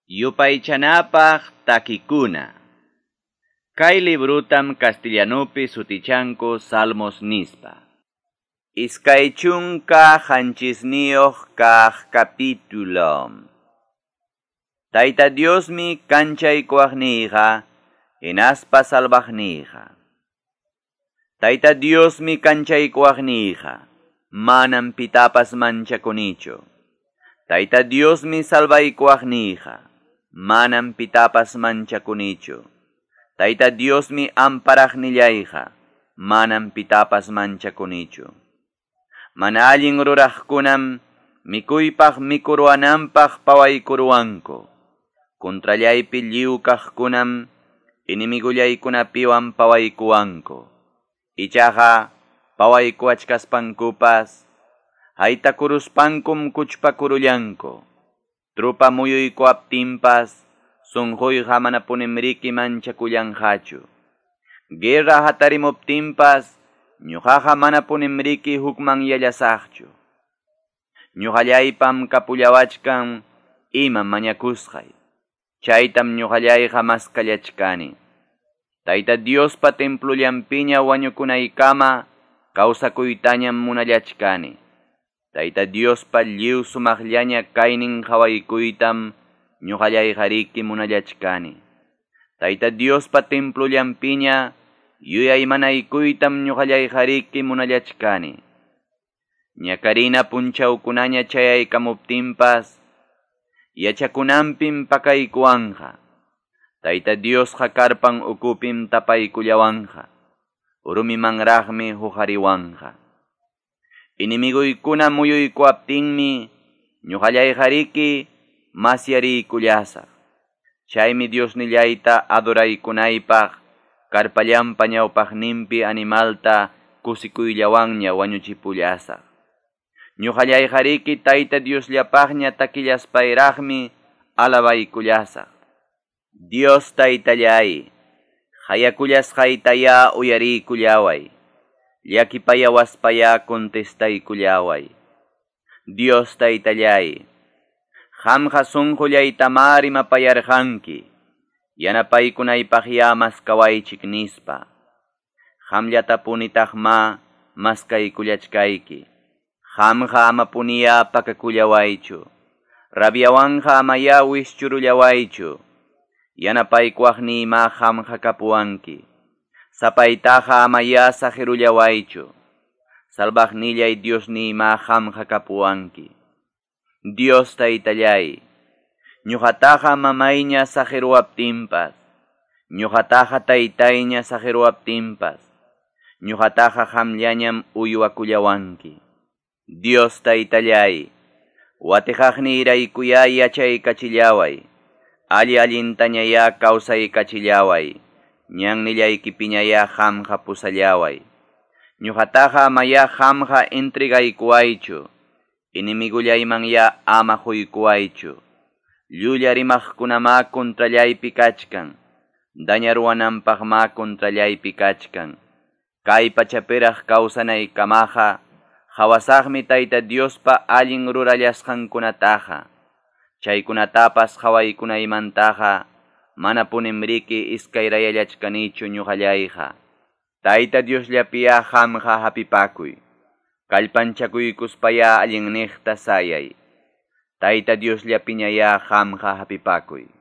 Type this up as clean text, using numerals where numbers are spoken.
Yupaychanapaq takikuna. Kay librutam castellanupi sutichanku Salmos nispa. 27 kaq capítulo. Tayta Diosmi kanchaykuwaqniyqa, hinaspa salvaqniyqa. Tayta Diosmi kanchaykuwaqniyqa, manam pitapas manchakunichu. Tayta Diosmi salvaykuwaqniyqa, manam pitapas manchakunichu. Tayta Diosmi amparaqnillayqa, manam pitapas manchakunichu. Mana allin ruraqkunam mikuypaq mikuruwananpaq pawaykuruwanku. Contrallaypi lliw kaqkunam enemigullaykunapiwan pawaykuwanku. Ichaqa pawaykuwachkaspankupas haytakuruspankum kuchpakurullanku. Trupa muyuykuwaptinpas sunquyqa manapunimriki manchakullanqachu. Guerra hatarimuptinpas ñuqaqa manapunimriki hukmanyallasaqchu. Ñuqallaypam kapullawachkan imam mañakusqay. Chaytam ñuqallayqa maskallachkani. Tayta Diospa templullanpiña wañukunaykama kawsakuytañam munallachkani. Tayta Diospa lliw sumaqllaña kaynin qawaykuytam ñuqallayqariki munallachkani. Tayta Diospa templullanpiña yuyaymanaykuytam ñuqallayqariki munallachkani. Ñakarina punchawkunaña chayaykamuptinpas yachakunanpim pakaykuwanqa. Tayta Diosqa karpan ukupim tapaykullawanqa. Rumimanraqmi huqariwanqa. Enemiguykuna muyuykuwaptinmi ñuqallayqariki masyariykullasaq. Chaymi Diosnillayta adoraykunaypaq karpallanpa ñawpaqninpi animalta kusikuyllawanña wañuchipullasaq. Ñuqallayqariki Tayta Diosllapaqña takillaspayraqmi alabaykullasaq. Dios Taytallay, hayakullasqaytaya uyariykullaway. Llakipayawaspaya contestaykullaway. Dios Taytallay, qamqa sunqullaytamá rimapayarqanki, yanapaykunaypaqya maskawaychik nispa. Qamllatapunitaqma maskaykullachkayki. Qamqa amapuniya pakakullawaychu. Rabyawanqa amaya wischurullawaychu. Yanapaykuwaqniyma qamqa kapuwanki. Sapaytaqa amaya saqirullawaychu. Salvaqnillay Diosniyma qamqa kapuwanki. Dios Taytallay, ñuqataqa mamayña saqiruwaptinpas, ñuqataqa taytayña saqiruwaptinpas, ñuqataqa qamllañam uywakullawanki. Dios Taytallay, watiqaqniyraykuyá yachaykachillaway, alli allintañayá kawsaykachillaway, ñannillaykipiñayá qamqa pusallaway. Ñuqataqa amayá qamqa entregaykuwaychu, enemigullaymanya ama quykuwaychu. Llulla rimaqkunamá contrallaypi kachkan, dañaruwananpaqmá contrallaypi kachkan. Kay pachapiraq kawsanaykamaqa qhawasaqmi Tayta Diospa allin rurallasqankunataqa. Chaykunatapas qhawaykunaymantaqa manapunimriki iskayrayallachkanichu ñuqallayqa. Tayta Diosllapiyá qamqa hapipakuy. Kallpanchakuykuspaya allinniqta sayay. Tayta Diosllapiñayá qamqa hapipakuy.